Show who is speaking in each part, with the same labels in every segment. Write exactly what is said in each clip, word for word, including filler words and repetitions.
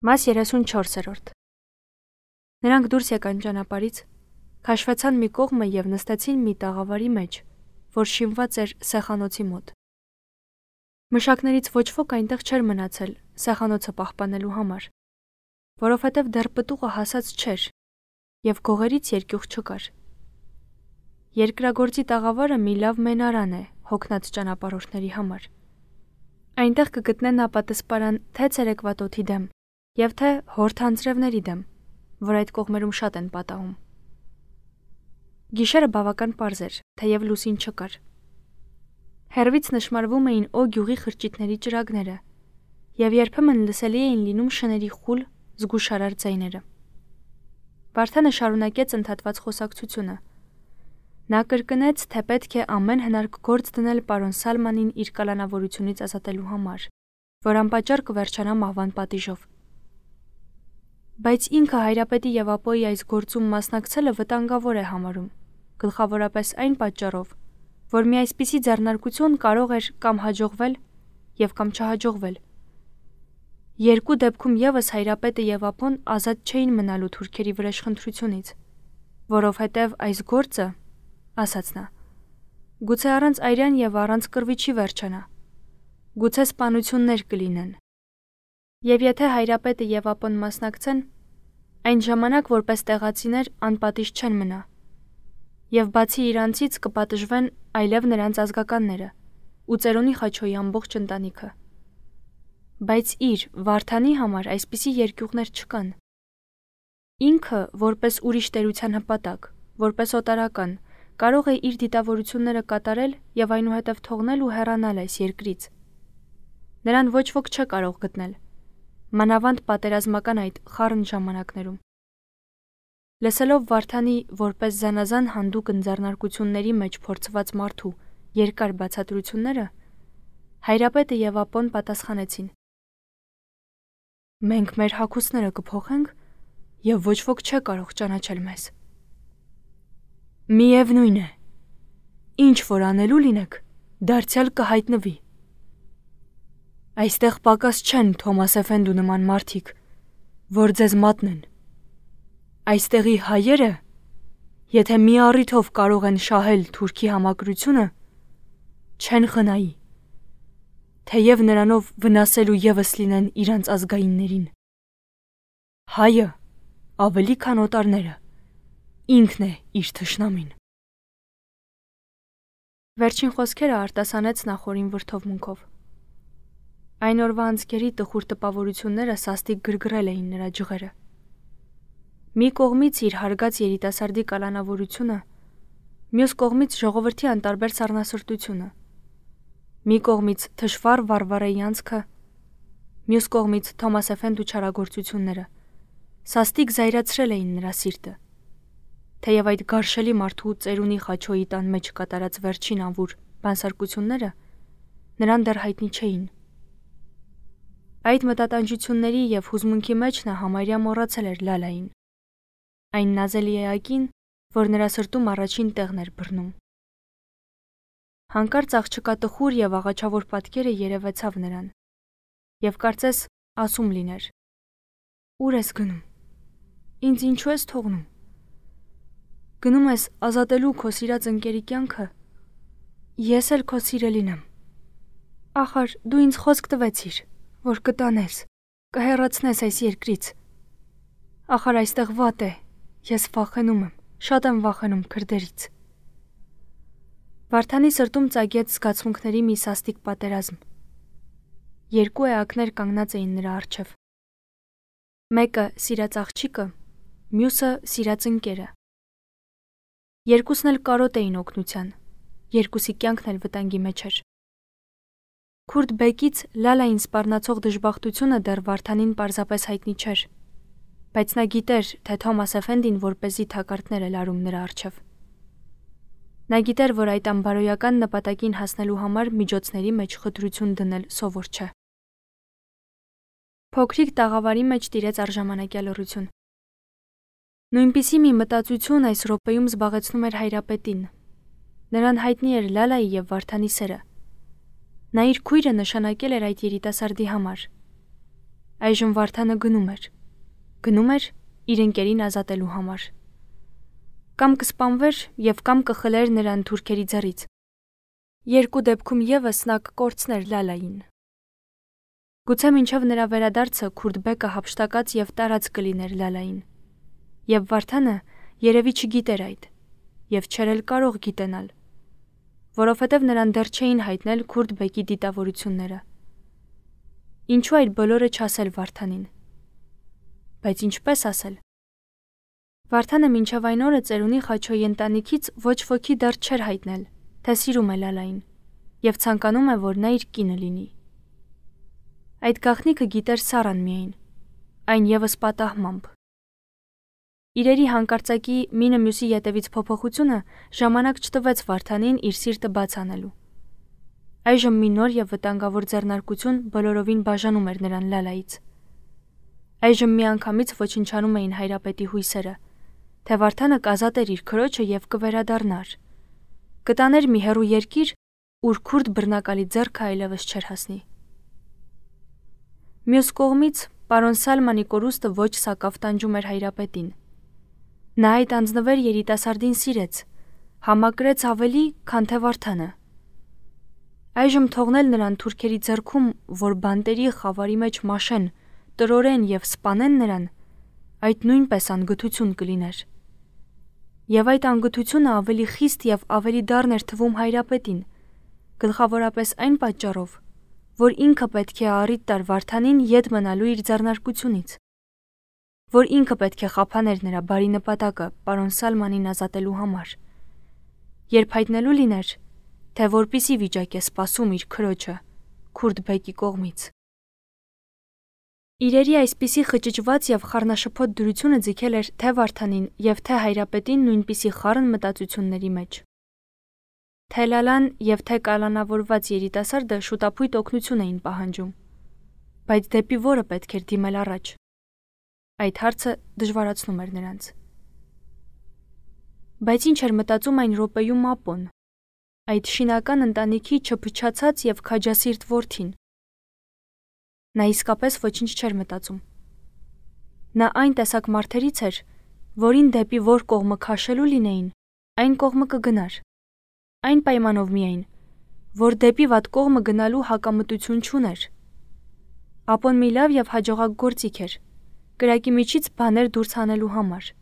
Speaker 1: Մաս երեսունչորսերորդ Նրանք դուրս եկան ճանապարհից, քաշվեցան մի կողմը և նստեցին մի տաղավարի մեջ, որ շինված էր սեխանոցի մոտ։ Մշակներից ոչ ոք այնտեղ չէր մնացել սեխանոցը պահպանելու համար, որովհետև դեռ պտուղը հասած չէր և գողերից երկյուղ չկար։ Երկրագործի տաղավարը մի լավ մենարան է հոգնած ճանապարհորդների համար։ Այնտեղ կգտնեն ապատեսպարան թե ցերեկվա տոթի դեմ և թե հորթ անձրևների դեմ, որ այդ կողմերում շատ են պատահում։ Գիշերը բավական պարզ էր, թեև լուսին չկար։ Հեռվից նշմարվում էին Օ գյուղի խրճիթների ճրագները, և երբեմն լսելի էին լինում շների խուլ, զգուշարար ձայները։ Վարդանը շարունակեց ընդհատված խոսակցությունը։ Նա կրկնեց, թե պետք է ամեն հնարք գործ դնել պարոն Սալմանին իր կալանավորությունից ազատելու համար, որ անպատճառ կվերջանա մահվան պատիժով։ Բայց ինքը Հայրապետի և Ապոյի այս գործում մասնակցելը վտանգավոր է համարում, գլխավորապես այն պատճառով, որ մի այսպիսի ձեռնարկություն կարող էր կամ հաջողվել և կամ չհաջողվել։ Երկու դեպքում ևս Հայրապետը և Ապոն ազատ չէին մնալու թուրքերի վրեժխնդրությունից, որովհետև այս գործը, ասաց նա, գուցե առանց այրան և առանց կռվի չի վերջանա, գուցե սպանություններ կլինեն։ Եվ եթե Հայրապետը և Ապոն մասնակցեն, այն ժամանակ որպես տեղացիներ անպատիժ չեն մնա, և բացի իրանցից կպատժվեն այլև նրանց ազգականները ու Ծերունի Խաչոյի ամբողջ ընտանիքը։ Բայց իր Վարդանի համար այսպիսի երկյուղներ չկան։ Ինքը, որպես ուրիշ տերության հպատակ, որպես օտարական, կարող է իր դիտավորությունները կատարել և այնուհետև թողնել ու հեռանալ այս երկրից։ Նրան ոչ ոք չէ կարող գտնել, մանավանդ պատերազմական այդ խառն ժամանակներում։ Լսելով Վարդանի որպես զանազան հանդուկ ընձեռնարկությունների մեջ փորձված մարդու երկար բացատրությունները, Հայրապետը և Ապոն պատասխանեցին. Մենք մեր հագուստները կփոխենք և ոչ ոք չէ կարող ճանաչել մեզ։ Միևնույն է, ինչ որ անելու լինեք, դարձյալ կհայտնվի։ Այստեղ պակաս չեն Թոմաս Էֆենդու նման մարդիկ, որ ձեզ մատնեն։ Այստեղի հայերը, եթե մի առիթով կարող են շահել թուրքի համակրությունը, չեն խնայի, թեև նրանով վնասելու ևս լինեն իրանց ազգայիններին։ Հայը, ավելի քան օտարները, ինքն է իր թշնամին։ Վերջին խոսքերը արտասանեց նախորին վրդովմունքով։ Այն օրվա անցքերի տխուր տպավորությունները սաստիկ գրգռել էին նրա ջղերը։ Մի կողմից իր հարգած երիտասարդի կալանավորությունը, մյուս կողմից ժողովրդի անտարբեր սառնասրտությունը, մի կողմից թշվառ Վարվարայի անցքը, մյուս կողմից Թոմաս Էֆենդու չարագործությունները սաստիկ զայրացրել էին նրա սիրտը, թեև այդ գարշելի մարդու Ծերունի Խաչոյի տան մեջ կատարած վերջին անվուր բանսարկությունները նրան դեռ հայտնի չէին։ Այդ մտատանջությունների և հուզմունքի մեջ նա համարյա մոռացել էր Լալային, այն նազելի էակին, որ նրա սրտում առաջին տեղն էր բռնում։ Հանկարծ աղջկա տխուր և աղաչավոր պատկերը երևեցավ նրան, և կարծես ասում լիներ. Ուր ես գնում, ինձ ինչու ես թողնում, գնում ես ազատելու քո սիրած ընկերի կյանքը, ես էլ քո սիրելին եմ, ախար դու ինձ խոսք տվեցիր, որ կտանես, կհեռացնես այս երկրից, ախար այստեղ վատ է, ես վախենում եմ, շատ եմ վախենում քրդերից։ Վարդանի սրտում ծագեց զգացմունքների մի սաստիկ պատերազմ։ Երկու էակներ կանգնած էին նրա առջև։ Մեկը սիրած աղջիկը, մյուսը սիրած ընկերը։ Երկուսն էլ կարոտ էին օգնության, երկուսի կյանքն էլ վտանգի մեջ էր։ Քուրդ բեկից Լալային սպառնացող դժբախտությունը դեռ Վարդանին պարզապես հայտնի չէր, բայց նա գիտեր, թե Թոմաս Էֆենդին որպեսզի թակարդներ է լարում նրա առջև։ Նա գիտեր, որ այդ անբարոյական նպատակին հասնելու համար միջոցների մեջ խտրություն դնել սովոր չէ։ Փոքրիկ տաղավարի մեջ տիրեց առժամանակյա լռություն։ Նույնպիսի մի մտածություն այս րոպեում զբաղեցնում էր Հայրապետին։ Նրան հայտնի էր Լալայի և Վարդանի սերը։ Նա իր քույրը նշանակել էր այդ երիտասարդի համար։ Այժմ Վարդանը գնում էր։ Գնում էր իր ընկերին ազատելու համար։ Կամ կսպանվեր և կամ կխլեր նրան թուրքերի ձեռից։ Երկու դեպքում ևս նա կկորցներ Լալային։ Գուցե մինչև նրա վերադարձը Քուրդբեկը հափշտակած և տարած կլիներ Լալային։ Եվ Վարդանը երևի չգիտեր այդ, և չէր էլ կարող գիտենալ, որովհետև նրան դեռ չէին հայտնել Քուրդբեկի դիտավորությունները։ Ինչու այդ բոլորը չասել Վարդանին։ Բայց ինչպես ասել։ Վարդանը մինչև այն օրը ծերունի Խաչոյի ընտանիքից ոչ ոքի դեռ չէր հայտնել, թե սիրում է Լալային, և ցանկանում է, որ նա իր կինը լինի։ Այդ գաղտնիքը գիտեր Սառան միայն, այն ևս պատահմամբ։ Իրերի հանկարծակի մինը մյուսի ետևից փոփոխությունը ժամանակ չտվեց Վարդանին իր սիրտը բաց անելու։ Այժմ մի նոր և վտանգավոր ձեռնարկություն բոլորովին բաժանում էր նրան Լալայից։ Այժմ միանգամից ոչնչանում էին հայրապետի հույսերը, թե Վարդանը կազատեր իր քրոջը և կվերադառնար, կտաներ մի հեռու երկիր, ուր քուրդ բռնակալի ձեռքը այլևս չէր հասնի։ Մյուս կողմից պարոն Սալմանի կորուստը ոչ սակավ տանջում էր հայրապետին։ Նա այդ անձնվեր երիտասարդին սիրեց, համակրեց ավելի, քան թե Վարդանը։ Այժմ թողնել նրան թուրքերի ձեռքում, որ բանտերի խավարի մեջ մաշեն, տրորեն և սպանեն նրան, այդ նույնպես անգթություն կլիներ։ Եվ այդ անգթությունը ավելի խիստ և ավելի դառն էր թվում հայրապետին, գլխավորապես այն պատճառով, որ ինքը պետք է առիթ տար Վարդանին ետ մնալու իր ձեռնարկությունից, որ ինքը պետք է խափաներ նրա բարի նպատակը պարոն Սալմանին ազատելու համար, երբ հայտնելու լիներ, թե որպիսի վիճակ է սպասում իր քրոջը Քուրդբեկի կողմից։ Իրերի այսպիսի խճճված և խառնաշփոթ դրությունը ձգել էր թե Վարդանին և թե հայրապետին նույնպիսի խառն մտածությունների մեջ։ Թե Լալան և թե կալանավորված երիտասարդը շուտափույթ օգնություն էին պահանջում, բայց դեպի որը պետք էր դիմել առաջ։ Այդ հարցը դժվարացնում էր նրանց։ Բայց ինչ էր մտածում այն րոպեում Ապոն, այդ շինական ընտանիքի չփչացած և քաջասիրտ որդին։ Նա իսկապես ոչինչ չէր մտածում։ Նա այն տեսակ մարդերից էր, որին դեպի որ կողմը քաշելու լինեին, այն կողմը կգնար, այն պայմանով միայն, որ դեպի վատ կողմը գնալու հակամտություն չուներ։ Ապոն մի լավ և հաջողակ գործիք էր, կրակի միջից բաներ դուրս հանելու համար։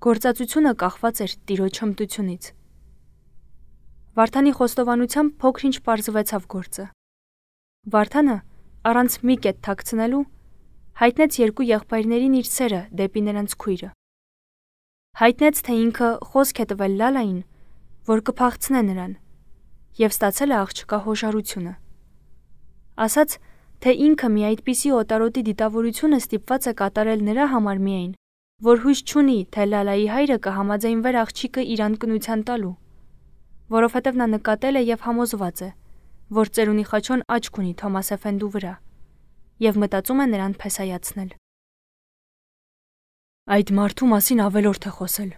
Speaker 1: Գործածությունը կախված էր տիրոջ հմտությունից։ Վարդանի խոստովանությամբ փոքր-ինչ պարզվեցավ գործը։ Վարդանը, առանց մի կետ թաքցնելու, հայտնեց երկու եղբայրներին իր սերը դեպի նրանց քույրը։ Հայտնեց, թե ինքը խոսք է տվել Լալային, որ կփախցնե նրան, և ստացել է աղջկա հոժարությունը։ Ասաց, թե ինքը մի այդպիսի օտարոտի դիտավորությունը ստիպված է կատարել նրա համար միայն, որ հույս չունի, թե Լալայի հայրը կհամաձայնվեր աղջիկը իր անկնության տալու, որովհետև նա նկատել է և համոզված է, որ ծերունի Խաչոն աչք ունի Թոմաս Էֆենդու վրա, և մտածում է նրան փեսայացնել։ Այդ մարդու մասին ավելորդ է խոսել,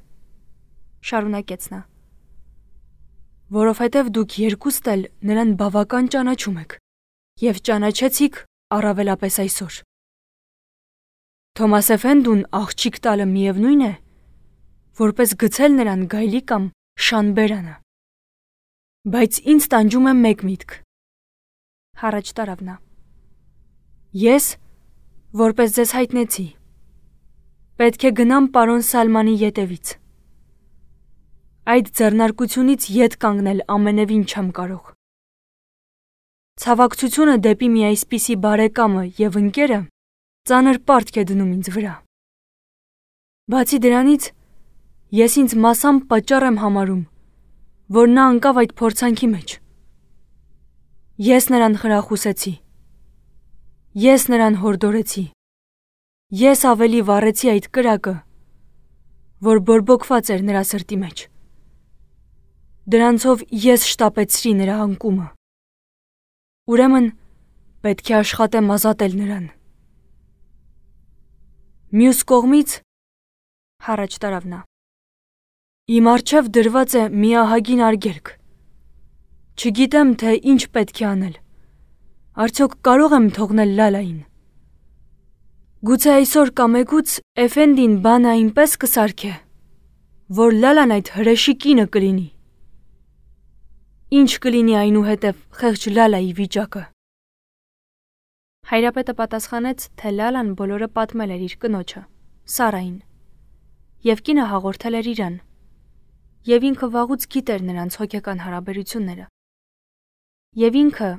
Speaker 1: շարունակեց նա, որովհետև դուք երկուստ էլ նրան բավական ճանաչում եք և ճանաչեցիք առավելապես այսօր։ Թոմաս Էֆենդուն աղջիկ տալը միևնույն է, որպես գցել նրան գայլի կամ շան բերանը։ Բայց ինձ տանջում է մեկ միտք, հառաջ տարավ նա։ Ես, որպես ձեզ հայտնեցի, պետք է գնամ պարոն Սալմանի ետևից։ Այդ ձեռնարկությունից ետ կանգնել ամենևին չեմ կարող։ Ցավակցությունը դեպի մի այսպիսի բարեկամը և ընկերը ծանր պարտք է դնում ինձ վրա։ Բացի դրանից, ես ինձ մասամբ պատճառ եմ համարում, որ նա ընկավ այդ փորձանքի մեջ։ Ես նրան խրախուսեցի։ Ես նրան հորդորեցի։ Ես ավելի վառեցի այդ կրակը, որ բորբոքված էր նրա սրտի մեջ։ Դրանցով ես շտապեցրի նրա անկումը։ Ուրեմն պետք է աշխատեմ ազատել նրան։ Մյուս կողմից, հառաջ տարավ նա, իմ առջև դրված է մի ահագին արգելք։ Չգիտեմ, թե ինչ պետք է անել։ Արդյոք կարող եմ թողնել Լալային։ Գուցե այսօր կամեգուց Էֆենդին բանը այնպես կսարքե, որ Լալան այդ հրեշի կինը կլինի։ Ինչ կլինի այնուհետև խեղճ Լալայի վիճակը։ Հայրապետը պատասխանեց, թե Լալան բոլորը պատմել էր իր կնոջը, Սարային, և կինը հաղորդել էր իրան, և ինքը վաղուց գիտեր նրանց հոգեկան հարաբերությունները։ Եվ ինքը,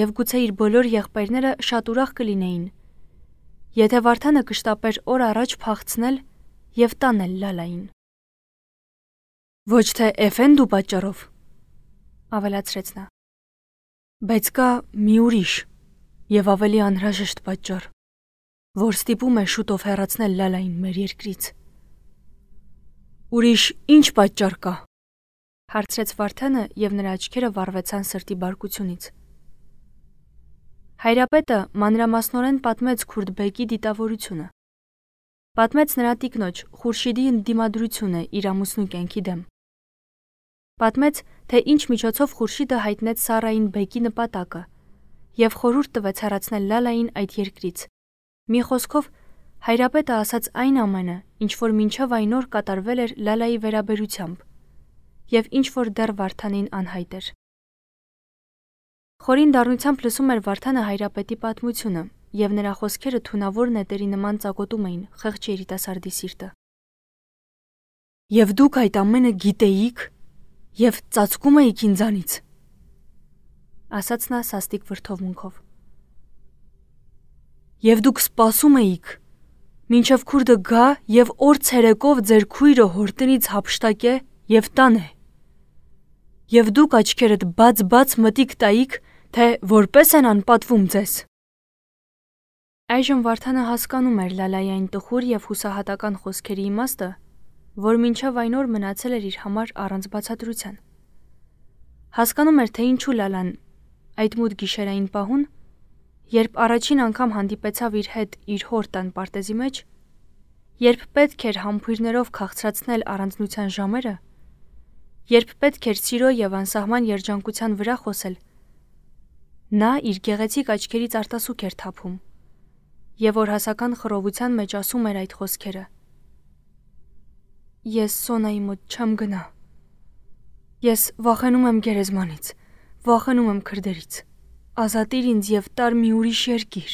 Speaker 1: և գուցե իր բոլոր եղբայրները շատ ուրախ կլինեին, եթե Վարդանը կշտապեր օր առաջ փախցնել և տանել Լալային։ Ոչ թե Էֆենդու պատճառով, ավելացրեց նա, բայց կա մի ուրիշ և ավելի անհրաժեշտ պատճառ, որ ստիպում է շուտով հեռացնել Լալային մեր երկրից։ Ուրիշ ինչ պատճառ կա, հարցրեց Վարդանը, և նրա աչքերը վառվեցան սրտի բարկությունից։ Հայրապետը մանրամասնորեն պատմեց Քուրդբեկի դիտավորությունը։ Պատմեց նրա տիկնոջ Խուրշիդի ընդդիմադրությունը իր ամուսնու կյանքի դեմ։ Պատմեց, թե ինչ միջոցով Խուրշիդը հայտնեց Սարային բեկի նպատակը և խորհուրդ տվեց հեռացնել Լալային այդ երկրից։ Մի խոսքով, հայրապետը ասաց այն ամենը, ինչ որ մինչև այն օր կատարվել էր Լալայի վերաբերությամբ, և ինչ որ դեռ Վարդանին անհայտ էր։ Խորին դառնությամբ լսում էր Վարդանը հայրապետի պատմությունը, և նրա խոսքերը թունավոր նետերի նման ծակոտում էին խեղճ երիտասարդի սիրտը։ Եվ դուք այդ ամենը գիտեիք և ծածկում էիք ինձանից, ասաց նա սաստիկ վրդովմունքով։ Եվ դուք սպասում էիք, մինչև քուրդը գա և օր ցերեկով ձեր քույրը հորտնից հափշտակե և տանե։ Եվ դուք աչքերդ բաց-բաց մտիք տայիք, թե որպես են անպատվում ձեզ։ Այժմ Վարդանը հասկանում էր Լալայի այն տխուր և հուսահատական խոսքերի իմաստը, որ մինչև այն օր մնացել էր իր համար առանց բացատրության։ Հասկանում էր, թե ինչու Լալան այդ մութ գիշերային պահուն, երբ առաջին անգամ հանդիպեցավ իր հետ իր հոր տան պարտեզի մեջ, երբ պետք էր համբույրներով քաղցրացնել առանձնության ժամերը, երբ պետք էր սիրո և անսահման երջանկության վրա խոսել, նա իր գեղեցիկ աչքերից արտասուք էր թափում, և օրհասական խռովության մեջ ասում էր այդ խոսքերը. Ես Սոնայի մոտ չեմ գնա։ Ես վախենում եմ գերեզմանից, վախենում եմ քրդերից, ազատիր ինձ և տար մի ուրիշ երկիր։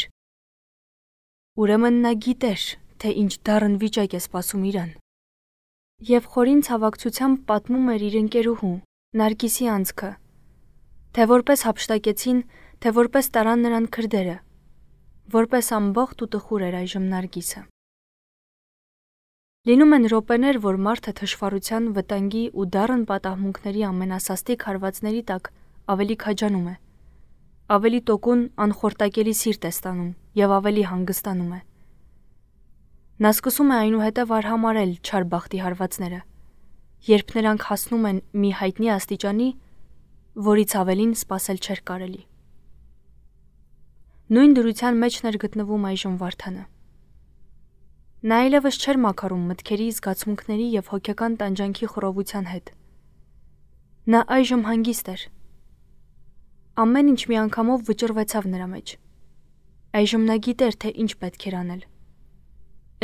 Speaker 1: Ուրեմն նա գիտեր, թե ինչ դառն վիճակ է սպասում իրան։ Եվ խորին ցավակցությամբ պատմում էր իր ընկերուհու, Նարգիսի անձքը, թե որպես հափշտակեցին, թե որպես տարան նրան քրդերը, որպես ամբողջ ու տխուր էր այժմ Նարգիսը։ Լինում են րոպեներ, որ մարդը թշվառության, վտանգի ու դառն պատահմունքների ամենասաստիկ հարվածների տակ ավելի քաջանում է, ավելի տոկուն, անխորտակելի սիրտ է ստանում և ավելի հանգստանում է։ Նա սկսում է այնուհետև արհամարհել չար բախտի հարվածները, երբ նրանք հասնում են մի հայտնի աստիճանի, որից ավելին սպասել չէր կարելի։ Նույն դրության մեջն էր գտնվում այժմ Վարդանը։ Նա այլևս չէր մաքարում մտքերի, զգացմունքների և հոգեկան տանջանքի խռովության հետ։ Նա այժմ հանգիստ էր։ Ամեն ինչ միանգամով վճռվեցավ նրա մեջ։ Այժմ նա գիտեր, թե ինչ պետք էր անել։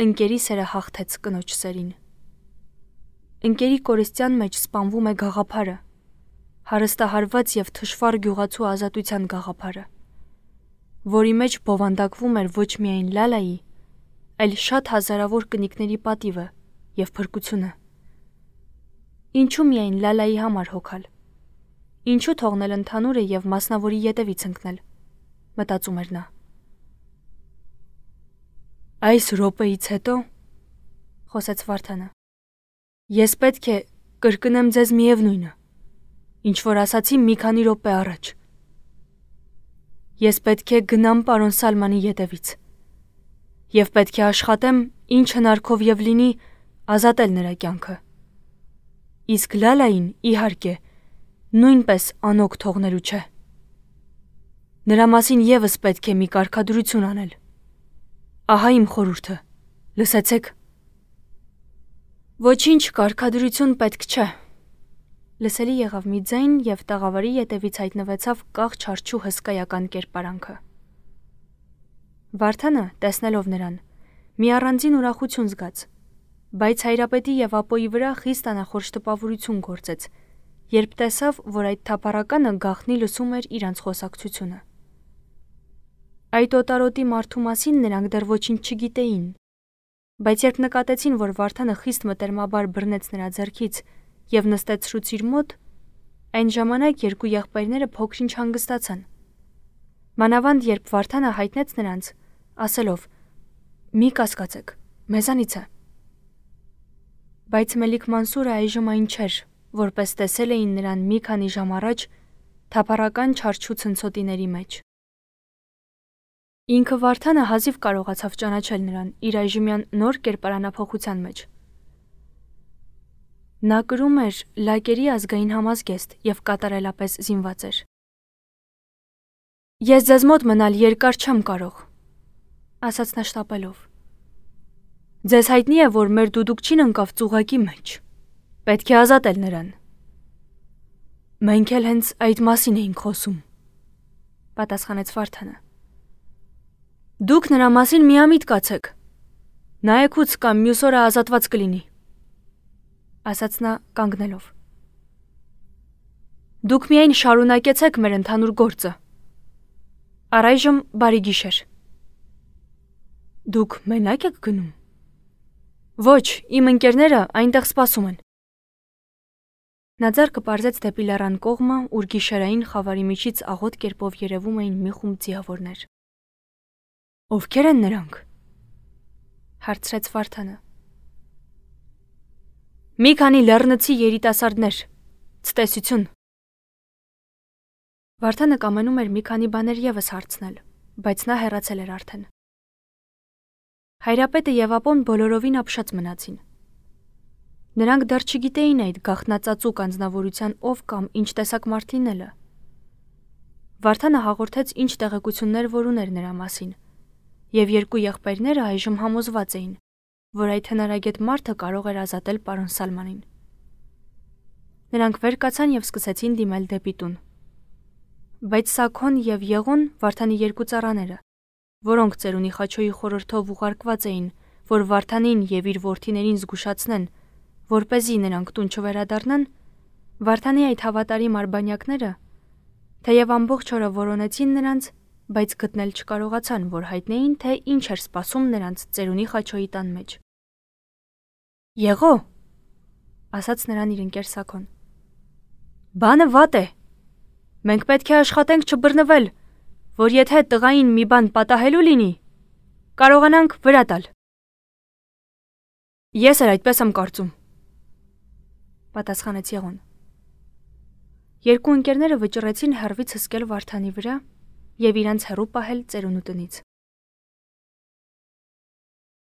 Speaker 1: Ընկերի սերը հաղթեց կնոջ սերին։ Ընկերի կորստյան մեջ սպանվում է գաղափարը, հարստահարված և թշվառ գյուղացու ազատության գաղափարը, որի մեջ բովանդակվում էր ոչ միայն Լալայի, այլ շատ հազարավոր կնիկների պատիվը և փրկությունը։ Ինչու միայն Լալայի համար հոգալ։ Ինչու թողնել ընդհանուրը և մասնավորի ետևից ընկնել, մտածում էր նա։ Այս րոպեից հետո, խոսեց Վարդանը, ես պետք է կրկնեմ ձեզ միևնույնը, ինչ որ ասացի մի քանի րոպե առաջ։ Ես պետք է գնամ պարոն Սալմանի ետևից և պետք է աշխատեմ ինչ հնարքով և լինի ազատել նրա կյանքը։ Իսկ Լալային, իհարկե, նույնպես անօգ թողնելու չէ։ Նրա մասին ևս պետք է մի կարգադրություն անել։ Ահա իմ խորհուրդը, լսեցեք։ Ոչինչ կարգադրություն պետք չէ։ Լսելի եղավ մի ձայն և տաղավարի ետևից հայտնվեցավ կաղ չարչու հսկայական կերպարանքը։ Վարդանը, տեսնելով նրան, մի առանձին ուրախություն զգաց, բայց Հայրապետի եւ ապոյի վրա խիստ անախորժ տպավորություն գործեց, երբ տեսավ, որ այդ թափառականը գաղտնի լսում էր իրանց խոսակցությունը։ Այդ օտարոտի մարդու մասին նրանք դեռ ոչինչ չգիտեին, բայց երբ նկատեցին, որ Վարդանը խիստ մտերմաբար բռնեց նրա ձեռքից եւ նստեցրուց իր մոտ, այն ժամանակ երկու եղբայրները փոքրինչ հանգստացան։ Մանավանդ երբ Վարդանը հայտնեց նրանց, ասելով. «Մի կասկածեք, մեզանից է»։ Բայց Մելիք Մանսուրը այժմ այն չէր, որպես տեսել էին նրան մի քանի ժամ առաջ թափառական չարչու ցնցոտիների մեջ։ Ինքը Վարդանը հազիվ կարողացավ ճանաչել նրան իր այժմյան նոր կերպարանափոխության մեջ։ Նա կրում էր լակերի ազգային համազգեստ եւ կատարելապես զինված էր։ «Ես ձեզ մոտ մնալ երկար չեմ կարող», ասաց նա շտապելով։ «Ձեզ հայտնի է, որ մեր դուդուկչին ընկավ ծուղակի մեջ։ Պետք է ազատել նրան»։ «Մենք էլ հենց այդ մասին էինք խոսում», պատասխանեց Վարդանը։ «Դուք նրա մասին միամիտ կացեք։ Նայեկուց կամ մյուս օրը ազատված կլինի», ասաց նա կանգնելով։ «Դուք միայն շարունակեցեք մեր ընդհանուր գործը։ Առայժմ բարի գիշեր»։ «Դուք մենակ եք գնում»։ «Ոչ, իմ ընկերները այնտեղ սպասում են»։ Նա ձեռքը պարզեց դեպի լեռան կողմը, ուր գիշերային խավարի միջից աղոտ կերպով երևում էին մի խումբ ձիավորներ։ «Ովքեր են նրանք»։ հարցրեց Վարդանը։ «Մի քանի լեռնցի երիտասարդներ, ցտեսություն»։ Վարդանը կամենում էր մի քանի բաներ ևս հարցնել, բայց նա հեռացել էր արդեն։ Հայրապետը եւ ապոն բոլորովին ապշած մնացին։ Նրանք դեռ չգիտեին այդ գաղտնածածուկ անձնավորության ով կամ ինչ տեսակ մարդ լինելը։ Վարդանը հաղորդեց ինչ տեղեկություններ որ ուներ նրա մասին, եւ երկու եղբայրները այժմ համոզված էին, որ այդ հնարագետ մարդը կարող էր ազատել պարոն Սալմանին։ Նրանք վեր կացան եւ սկսեցին դիմել դեպի տուն։ Բայց Սաքոն եւ Եղոն Վարդանի երկու ծառաները, որոնք ծերունի Խաչոյի խորհրդով ուղարկված էին, որ Վարդանին եւ իր որդիներին զգուշացնեն, որպեսզի նրանք տուն չվերադառնան, Վարդանի այդ հավատարիմ արբանյակները, թեև ամբողջ օրը որոնեցին նրանց, բայց գտնել չկարողացան, որ հայտնեին, թե ինչ էր սպասում նրանց ծերունի Խաչոյի տան մեջ։ «Եղո», ասաց նրան իր ընկեր Սաքոն, «բանը վատ է։ Մենք պետք է աշխատենք չբռնվել, որ եթե տղային մի բան պատահելու լինի, կարողանանք վրա տալ»։ «Ես էլ այդպես եմ կարծում», պատասխանեց Եղոն։ Երկու ընկերները վճռեցին հեռվից հսկել Վարդանի վրա եւ իրանց հեռու պահել ծերունու տնից։